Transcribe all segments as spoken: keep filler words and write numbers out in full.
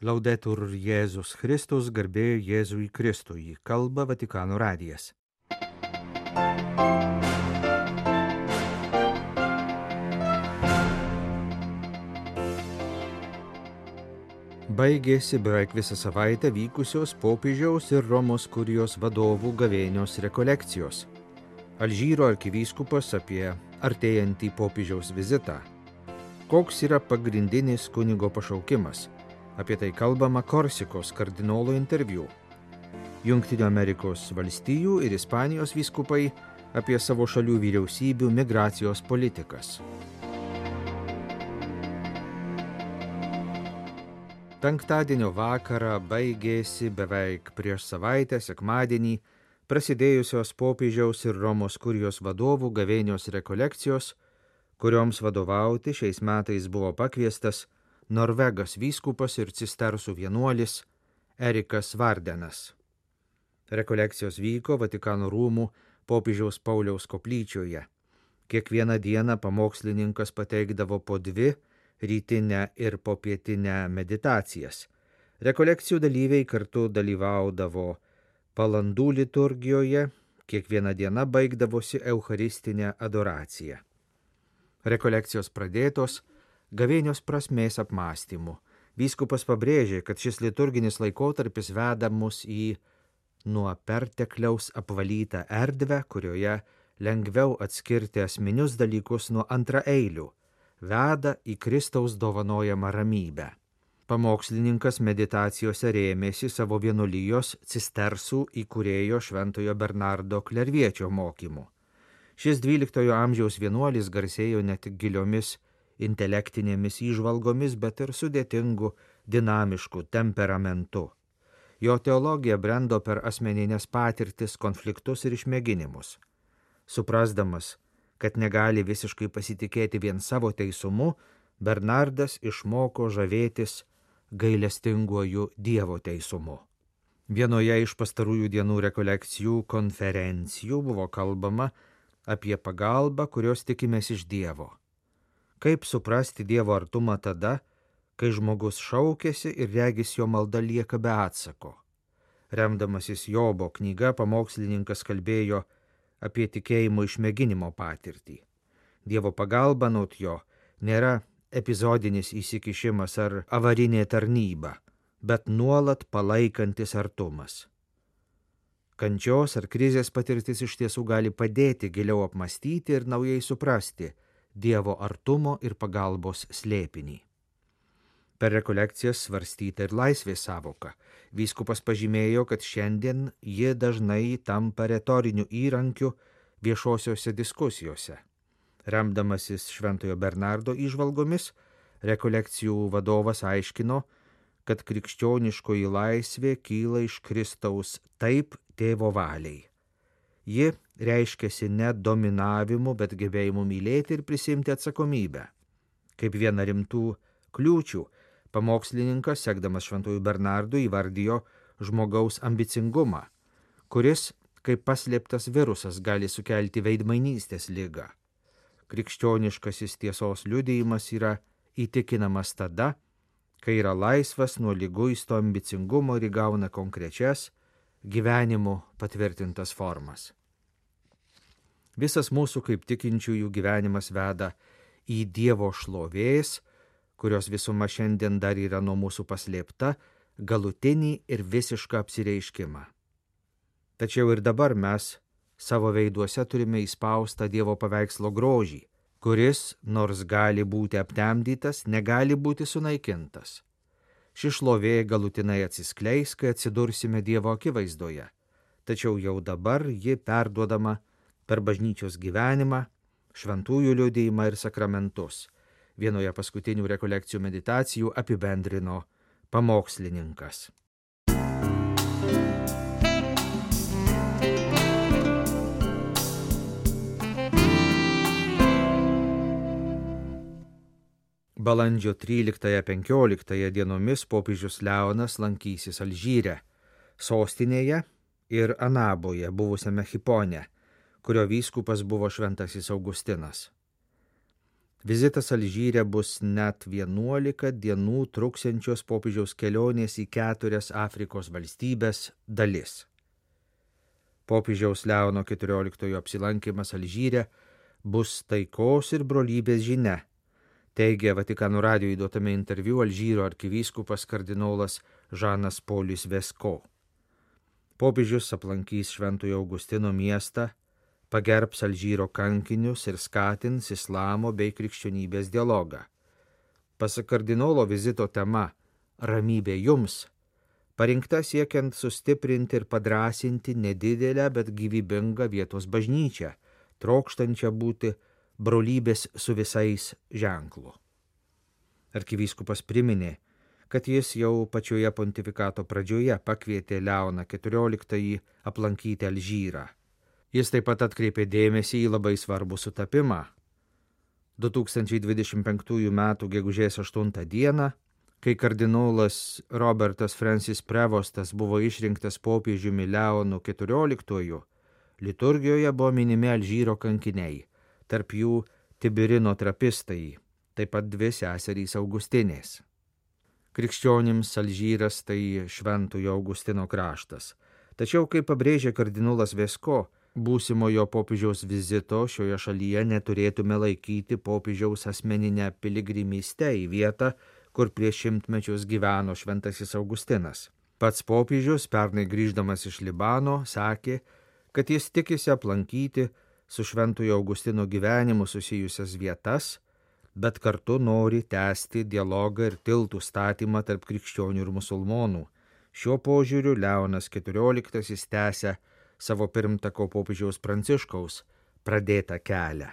Laudetur Jėzus Kristus, garbė Jėzui Kristui, kalba Vatikano radijas. Baigėsi beveik visą savaitę vykusios popiežiaus ir Romos kurijos vadovų gavėnios rekolekcijos. Alžyro arkivyskupas apie artėjantį popiežiaus vizitą. Koks yra pagrindinis kunigo pašaukimas? Apie tai kalbama Korsikos kardinolo interviu. Jungtinių Amerikos valstijų ir Ispanijos vyskupai apie savo šalių vyriausybių migracijos politikas. Penktadienio vakarą baigėsi beveik prieš savaitę sekmadienį prasidėjusios popiežiaus ir Romos kurijos vadovų gavėnios rekolekcijos, kurioms vadovauti šiais metais buvo pakviestas Norvegas vyskupas ir cistersų vienuolis Erikas Vardenas. Rekolekcijos vyko Vatikano rūmų popiežiaus Pauliaus koplyčioje. Kiekvieną dieną pamokslininkas pateikdavo po dvi rytinę ir popietinę meditacijas. Rekolekcijų dalyviai kartu dalyvaudavo palandų liturgijoje, kiekviena diena baigdavosi eucharistinė adoracija. Rekolekcijos pradėtos gavėnios prasmės apmąstymu. Vyskupas pabrėžė, kad šis liturginis laikotarpis veda mus į nuo pertekliaus apvalytą erdvę, kurioje lengviau atskirti asmenius dalykus nuo antraeilių, veda į Kristaus dovanojamą ramybę. Pamokslininkas meditacijose rėmėsi savo vienuolijos cistersų įkūrėjo Šventojo Bernardo Klerviečio mokymu. Šis dvyliktojo amžiaus vienuolis garsėjo ne tik giliomis intelektinėmis įžvalgomis, bet ir sudėtingu, dinamišku temperamentu. Jo teologija brendo per asmeninės patirtis, konfliktus ir išmėginimus. Suprasdamas, kad negali visiškai pasitikėti vien savo teisumu, Bernardas išmoko žavėtis gailestinguoju Dievo teisumu. Vienoje iš pastarųjų dienų rekolekcijų konferencijų buvo kalbama apie pagalbą, kurios tikimės iš Dievo. Kaip suprasti Dievo artumą tada, kai žmogus šaukėsi ir regis jo malda lieka be atsako. Remdamasis Jobo knyga, pamokslininkas kalbėjo apie tikėjimo išmėginimo patirtį. Dievo pagalba naut jo nėra epizodinis įsikišimas ar avarinė tarnyba, bet nuolat palaikantis artumas. Kančios ar krizės patirtis iš tiesų gali padėti giliau apmąstyti ir naujai suprasti Dievo artumo ir pagalbos slėpinį. Per rekolekcijas svarstyta ir laisvės savoka. Vyskupas pažymėjo, kad šiandien ji dažnai tampa retoriniu įrankiu viešosiose diskusijose. Remdamasis Šventojo Bernardo įžvalgomis, rekolekcijų vadovas aiškino, kad krikščioniškoji laisvė kyla iš Kristaus taip tėvo valiai. Ji reiškiasi ne dominavimu, bet gebėjimu mylėti ir prisimti atsakomybę. Kaip viena rimtų kliūčių, pamokslininkas, sekdamas Šventojų Bernardu, įvardijo žmogaus ambicingumą, kuris, kaip paslėptas virusas, gali sukelti veidmainystės ligą. Krikščioniškasis tiesos liudijimas yra įtikinamas tada, kai yra laisvas nuo liguisto ambicingumo ir įgauna konkrečias gyvenimu patvirtintas formas. Visas mūsų kaip tikinčiųjų gyvenimas veda į Dievo šlovės, kurios visuma šiandien dar yra nuo mūsų paslėpta, galutinį ir visišką apsireiškimą. Tačiau ir dabar mes savo veiduose turime įspaustą Dievo paveikslo grožį, kuris, nors gali būti aptemdytas, negali būti sunaikintas. Ši šlovė galutinai atsiskleis, kai atsidursime Dievo akivaizdoje, tačiau jau dabar ji perduodama per bažnyčios gyvenimą, šventųjų liudijimą ir sakramentus. Vienoje paskutinių rekolekcijų meditacijų apibendrino pamokslininkas. Balandžio tryliktąją-penkioliktąją dienomis popiežius Leonas lankysis Alžyre, sostinėje ir Anaboje, buvusiame Hipone, kurio vyskupas buvo šventasis Augustinas. Vizitas Alžyre bus net vienuolika dienų truksiančios popiežiaus kelionės į keturias Afrikos valstybės dalis. Popiežiaus Leono keturioliktojo apsilankimas Alžyre bus taikos ir brolybės žinia, teigia Vatikano radijui duotame interviu Alžyro arkivyskupas kardinolas Žanas Polis Vesko. Popiežius aplankys Šventojo Augustino miestą, pagerbs Alžyro kankinius ir skatins islamo bei krikščionybės dialogą. Pasak kardinolo vizito tema "Ramybė jums" parinkta siekiant sustiprinti ir padrąsinti nedidelę, bet gyvybingą vietos bažnyčią, trokštančią būti brolybės su visais ženklu. Arkivyskupas priminė, kad jis jau pačioje pontifikato pradžioje pakvietė Leoną keturioliktąjį aplankyti Alžyrą. Jis taip pat atkreipė dėmesį į labai svarbų sutapimą. du tūkstančiai dvidešimt penktųjų metų gegužės aštuntą dieną, kai kardinolas Robertas Francis Prevostas buvo išrinktas popiežiumi Leonu keturioliktuoju, liturgijoje buvo minimi Alžyro kankiniai, tarp jų Tibirino trapistai, taip pat dvi seserys Augustinės. Krikščionims Alžyras tai Šventojo Augustino kraštas. Tačiau, kaip pabrėžė kardinolas Vesko, būsimojo popiežiaus vizito šioje šalyje neturėtume laikyti popiežiaus asmeninę piligrimystę į vietą, kur prieš šimtmečius gyveno Šventasis Augustinas. Pats popiežius, pernai grįždamas iš Libano, sakė, kad jis tikisi aplankyti su Šventojo Augustino gyvenimu susijusias vietas, bet kartu nori tęsti dialogą ir tiltų statymą tarp krikščionių ir musulmonų. Šiuo požiūriu Leonas keturioliktasis tęsia savo pirmtako popiežiaus Pranciškaus pradėtą kelią.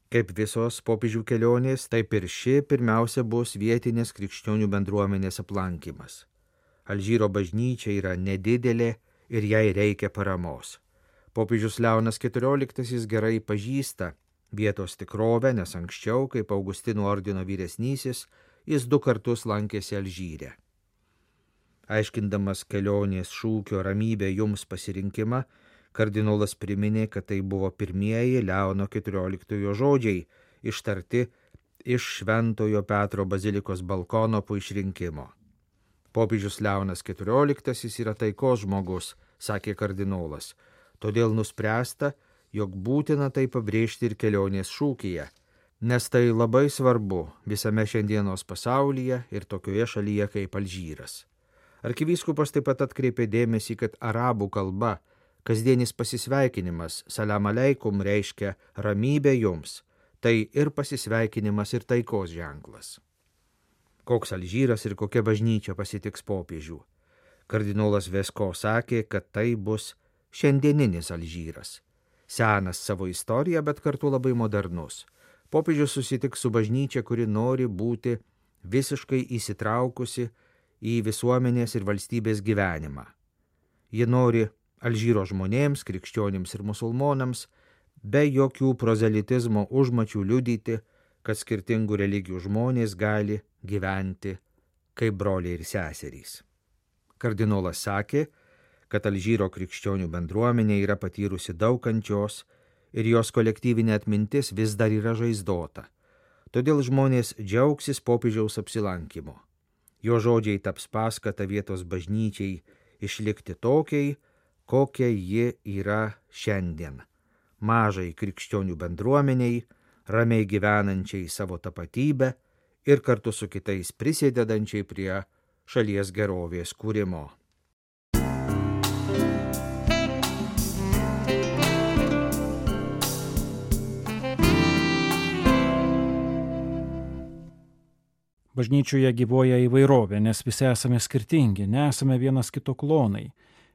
Kaip visos popiežių kelionės, taip ir ši pirmiausia bus vietinės krikščionių bendruomenės aplankymas. Alžyro bažnyčia yra nedidelė ir jai reikia paramos. Popiežius Leonas keturioliktasis gerai pažįsta vietos tikrovę, nes anksčiau, kaip Augustinų ordino vyresnysis, jis du kartus lankėsi Alžyre. Aiškindamas kelionės šūkio "Ramybė jums" pasirinkimą, kardinolas priminė, kad tai buvo pirmieji Leono keturioliktojo žodžiai, ištarti iš Šventojo Petro bazilikos balkono po išrinkimo. Popiežius Leonas keturioliktasis yra taikos žmogus, sakė kardinolas, todėl nuspręsta, jog būtina tai pabrėžti ir kelionės šūkyje, nes tai labai svarbu visame šiandienos pasaulyje ir tokioje šalyje kaip Alžyras. Arkivyskupas taip pat atkreipė dėmesį, kad arabų kalba kasdienis pasisveikinimas salam aleikum reiškia ramybė jums, tai ir pasisveikinimas ir taikos ženklas. Koks Alžyras ir kokia bažnyčia pasitiks popiežių? Kardinolas Vesko sakė, kad tai bus šiandieninis Alžyras. Senas savo istoriją, bet kartu labai modernus. Popiežius susitiks su bažnyčia, kuri nori būti visiškai įsitraukusi į visuomenės ir valstybės gyvenimą. Ji nori Alžyro žmonėms, krikščionims ir musulmonams, be jokių prozelitizmo užmačių liudyti, kad skirtingų religijų žmonės gali gyventi kaip broliai ir seserys. Kardinolas sakė, kad Alžyro krikščionių bendruomenė yra patyrusi daug kančios ir jos kolektyvinė atmintis vis dar yra žaizdota. Todėl žmonės džiaugsis popiežiaus apsilankymu. Jo žodžiai taps paskata vietos bažnyčiai išlikti tokiai, kokia ji yra šiandien. Mažai krikščionių bendruomeniai, ramiai gyvenančiai savo tapatybę ir kartu su kitais prisidedančiai prie šalies gerovės kūrimo. Bažnyčioje gyvuoja įvairovė, nes visi esame skirtingi, nesame vienas kito klonai.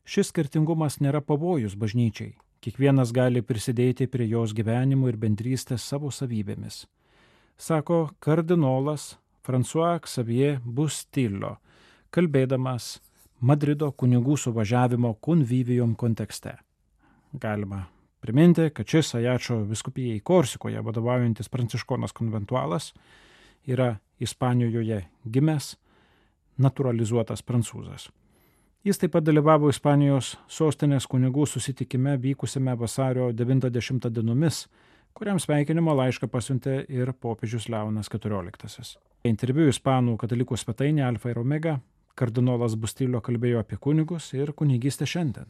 Šis skirtingumas nėra pavojus bažnyčiai. Kiekvienas gali prisidėti prie jos gyvenimo ir bendrystės savo savybėmis. Sako kardinolas François Xavier Bustillo, kalbėdamas Madrido kunigų suvažiavimo Convivium kontekste. Galima priminti, kad šis Ajačo vyskupijai Korsikoje vadovaujantis pranciškonas konventualas yra Ispanijoje gimęs, naturalizuotas prancūzas. Jis taip pat dalyvavo Ispanijos sostinės kunigų susitikime vykusiame vasario devintą dešimtą dienomis, kuriam sveikinimo laišką pasiuntė ir popiežius Leonas keturioliktasis. Interviu ispanų katalikų svetainė Alfa ir Omega kardinolas Bustillo kalbėjo apie kunigus ir kunigystę šiandien.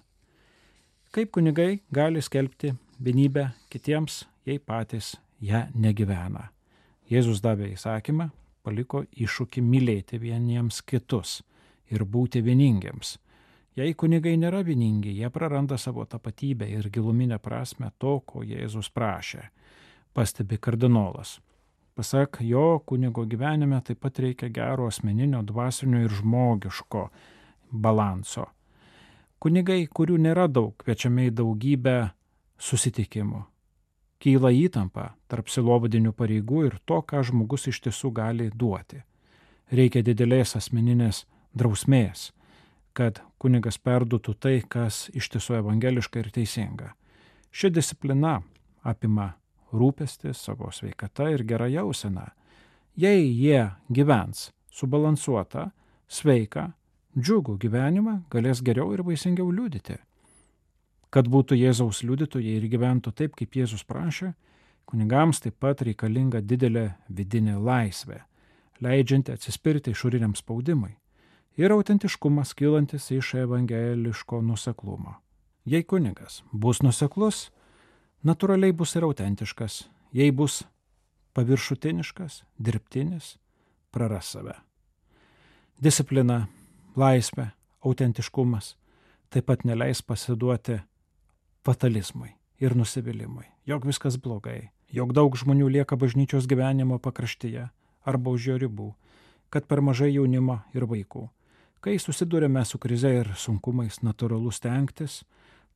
Kaip kunigai gali skelbti vienybę kitiems, jei patys ją negyvena. Jėzus davė įsakymą, paliko iššūkį mylėti vieniems kitus ir būti vieningiems. Jei kunigai nėra vieningi, jie praranda savo tapatybę ir giluminę prasme to, ko Jėzus prašė, pastebi kardinolas. Pasak jo, kunigo gyvenime taip pat reikia gero asmeninio, dvasinio ir žmogiško balanso. Kunigai, kurių nėra daug, kviečiami į daugybę susitikimų. Kyla įtampa tarp sielovadinių pareigų ir to, ką žmogus iš tiesų gali duoti. Reikia didelės asmeninės drausmės, kad kunigas perduotų tai, kas iš tiesų evangeliška ir teisinga. Ši disciplina apima rūpestį savo sveikata ir gerą jauseną. Jei jie gyvens subalansuotą, sveiką, džiugų gyvenimą, galės geriau ir vaisingiau liudyti. Kad būtų Jėzaus liudytojai ir gyventų taip, kaip Jėzus prašė, kunigams taip pat reikalinga didelė vidinė laisvė, leidžianti atsispirti išoriniam spaudimui, ir autentiškumas kylantis iš evangeliško nuoseklumo. Jei kunigas bus nuoseklus, natūraliai bus ir autentiškas. Jei bus paviršutiniškas, dirbtinis, praras save. Disciplina, laisvė, autentiškumas taip pat neleis pasiduoti fatalizmui ir nusivylimui, jog viskas blogai, jog daug žmonių lieka bažnyčios gyvenimo pakraštyje arba už jo ribų, kad per mažai jaunimo ir vaikų. Kai susidurėme su krize ir sunkumais, natūralu stengtis,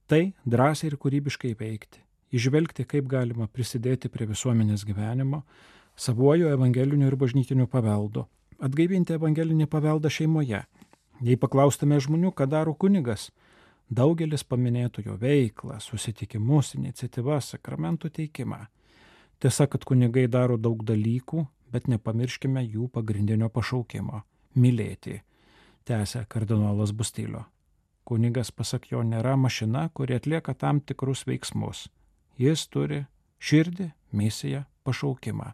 tai drąsiai ir kūrybiškai veikti, išvelgti, kaip galima prisidėti prie visuomenės gyvenimo, savuoju evangeliniu ir bažnytiniu paveldu, atgaivinti evangelinį paveldą šeimoje. Jei paklaustume žmonių, ką daro kunigas, daugelis paminėtų jo veiklą, susitikimus, iniciatyvas, sakramentų teikimą. Tiesa, kad kunigai daro daug dalykų, bet nepamirškime jų pagrindinio pašaukimo – mylėti, tęsia kardinolas Bustillo. Kunigas, pasak jo, nėra mašina, kuri atlieka tam tikrus veiksmus. Jis turi širdį, misiją, pašaukimą.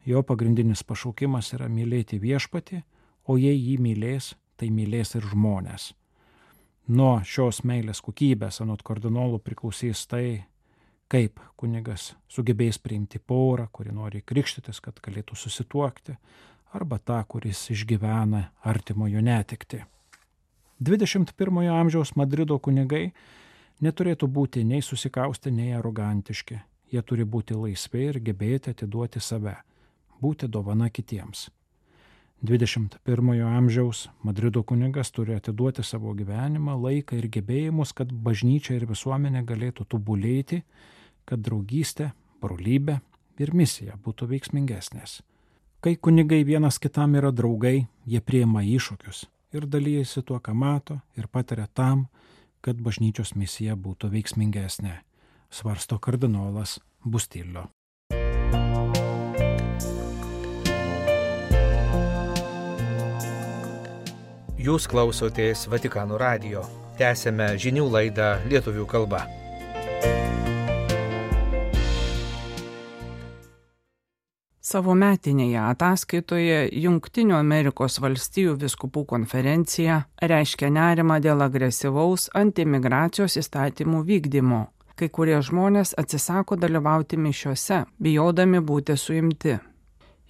Jo pagrindinis pašaukimas yra mylėti viešpatį, o jei jį mylės, tai mylės ir žmonės. Nuo šios meilės kokybės anot kardinolų priklausys tai, kaip kunigas sugebės priimti porą, kuri nori krikštytis, kad galėtų susituokti, arba tą, kuris išgyvena artimojo netekti. dvidešimt pirmojo amžiaus Madrido kunigai neturėtų būti nei susikaustę, nei arogantiški. Jie turi būti laisvi ir gebėti atiduoti save, būti dovana kitiems. dvidešimt pirmojo amžiaus Madrido kunigas turi atiduoti savo gyvenimą, laiką ir gebėjimus, kad bažnyčia ir visuomenė galėtų tobulėti, kad draugystė, brolybė ir misija būtų veiksmingesnės. Kai kunigai vienas kitam yra draugai, jie priima iššūkius ir dalyjasi tuo, ką mato ir patiria tam, kad bažnyčios misija būtų veiksmingesnė, svarsto kardinolas Bustillo. Jūs klausotės Vatikano radijo. Tęsėme žinių laidą lietuvių kalba. Savo metinėje ataskaitoje Jungtinių Amerikos valstijų vyskupų konferencija reiškia nerimą dėl agresyvaus antimigracijos įstatymų vykdymo. Kai kurie žmonės atsisako dalyvauti mišiose, bijodami būti suimti.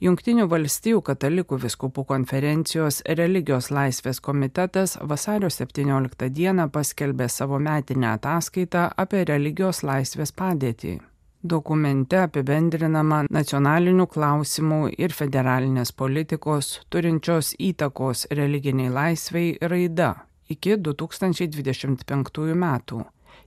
Jungtinių valstijų katalikų vyskupų konferencijos religijos laisvės komitetas vasario septynioliktą dieną paskelbė savo metinę ataskaitą apie religijos laisvės padėtį. Dokumente apibendrinama nacionalinių klausimų ir federalinės politikos turinčios įtakos religiniai laisvei raida iki du tūkstančiai dvidešimt penktųjų metų,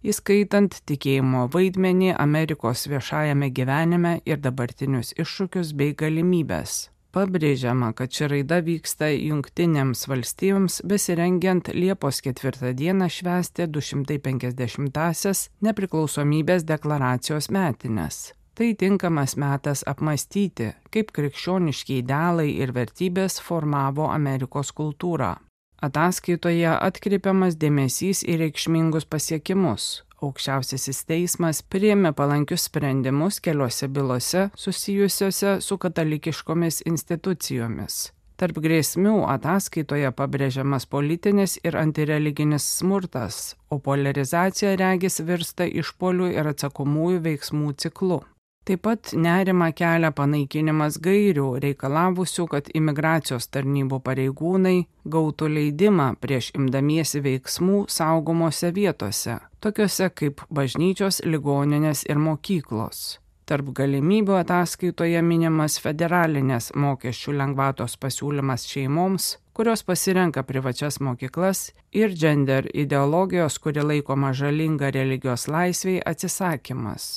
įskaitant tikėjimo vaidmenį Amerikos viešajame gyvenime ir dabartinius iššūkius bei galimybes. Pabrėžiama, kad ši raida vyksta Jungtinėms valstijoms besirengiant Liepos ketvirtą dieną švęsti du šimtai penkiasdešimtąsias nepriklausomybės deklaracijos metines. Tai tinkamas metas apmąstyti, kaip krikščioniški idealai ir vertybės formavo Amerikos kultūrą. Ataskaitoje atkreipiamas dėmesys į reikšmingus pasiekimus, Aukščiausiasis teismas priėmė palankius sprendimus keliose bylose susijusiose su katalikiškomis institucijomis. Tarp grėsmių ataskaitoje pabrėžiamas politinis ir antireliginis smurtas, o poliarizacija regis virsta išpuolių ir atsakomųjų veiksmų ciklu. Taip pat nerima kelia panaikinimas gairių, reikalavusių, kad imigracijos tarnybų pareigūnai gautų leidimą prieš imdamiesi veiksmų saugomose vietose, tokiuose kaip bažnyčios, ligoninės ir mokyklos. Tarp galimybių ataskaitoje minimas federalinės mokesčių lengvatos pasiūlymas šeimoms, kurios pasirenka privačias mokyklas, ir gender ideologijos, kuri laikoma žalinga religijos laisvei, atsisakymas.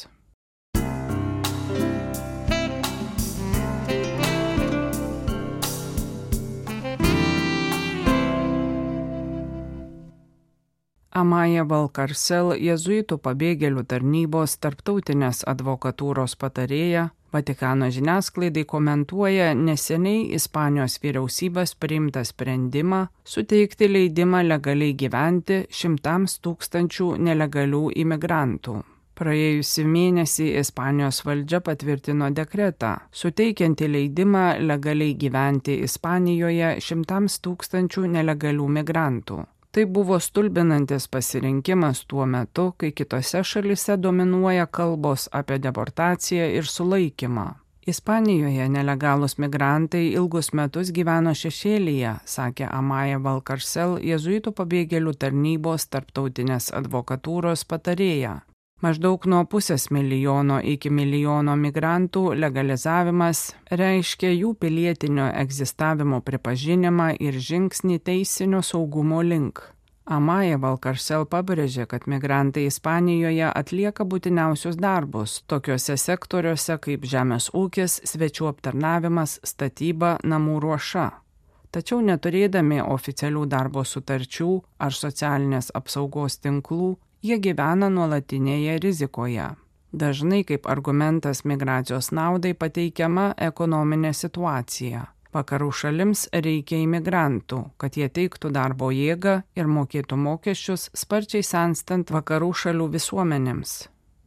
Amaya Valkarsel, jėzuitų pabėgėlių tarnybos tarptautinės advokatūros patarėja, Vatikano žiniasklaidai komentuoja neseniai Ispanijos vyriausybės priimtą sprendimą suteikti leidimą legaliai gyventi šimtams tūkstančių nelegalių imigrantų. Praėjusį mėnesį Ispanijos valdžia patvirtino dekretą, suteikiantį leidimą legaliai gyventi Ispanijoje šimtams tūkstančių nelegalių migrantų. Tai buvo stulbinantis pasirinkimas tuo metu, kai kitose šalise dominuoja kalbos apie deportaciją ir sulaikymą. Ispanijoje nelegalūs migrantai ilgus metus gyveno šešėlyje, sakė Amaya Valkarsel, jėzuitų pabėgėlių tarnybos tarptautinės advokatūros patarėja. Maždaug nuo pusės milijono iki milijono migrantų legalizavimas reiškia jų pilietinio egzistavimo pripažinimą ir žingsnį teisinio saugumo link. Amaya Valkarsel pabrėžė, kad migrantai Ispanijoje atlieka būtiniausius darbus tokiuose sektoriuose kaip žemės ūkis, svečių aptarnavimas, statyba, namų ruoša. Tačiau neturėdami oficialių darbo sutarčių ar socialinės apsaugos tinklų, jie gyvena nuolatinėje rizikoje. Dažnai kaip argumentas migracijos naudai pateikiama ekonominė situacija. Vakarų šalims reikia imigrantų, kad jie teiktų darbo jėgą ir mokėtų mokesčius sparčiai senstant vakarų šalių visuomenėms.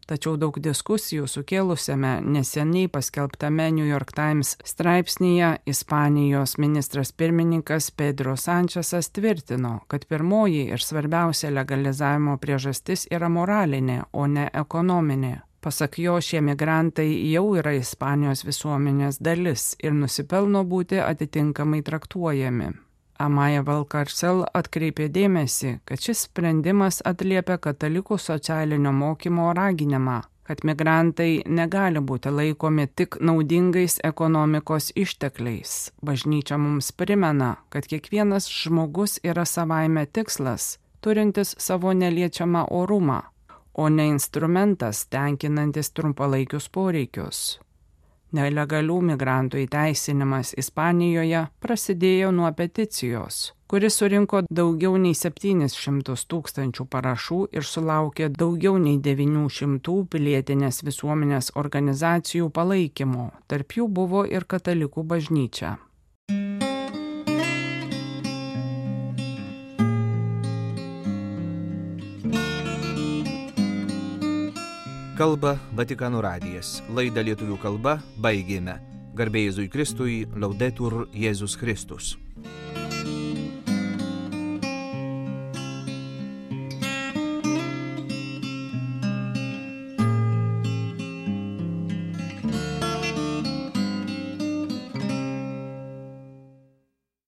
Tačiau daug diskusijų sukėlusiame neseniai paskelbtame New York Times straipsnyje Ispanijos ministras pirmininkas Pedro Sančesas tvirtino, kad pirmoji ir svarbiausia legalizavimo priežastis yra moralinė, o ne ekonominė. Pasak jo, šie migrantai jau yra Ispanijos visuomenės dalis ir nusipelno būti atitinkamai traktuojami. Amaya Valkarsel atkreipė dėmesį, kad šis sprendimas atliepia katalikų socialinio mokymo raginimą, kad migrantai negali būti laikomi tik naudingais ekonomikos ištekliais. Bažnyčia mums primena, kad kiekvienas žmogus yra savaime tikslas, turintis savo neliečiamą orumą, o ne instrumentas tenkinantis trumpalaikius poreikius. Nelegalių migrantų įteisinimas Ispanijoje prasidėjo nuo peticijos, kuris surinko daugiau nei septynis šimtus tūkstančių parašų ir sulaukė daugiau nei devynių šimtų pilietinės visuomenės organizacijų palaikymo, tarp jų buvo ir katalikų bažnyčia. Kalba Vatikano radijas. Laidą lietuvių kalba baigėme. Garbė Jėzui Kristui, Laudetur Jėzus Kristus.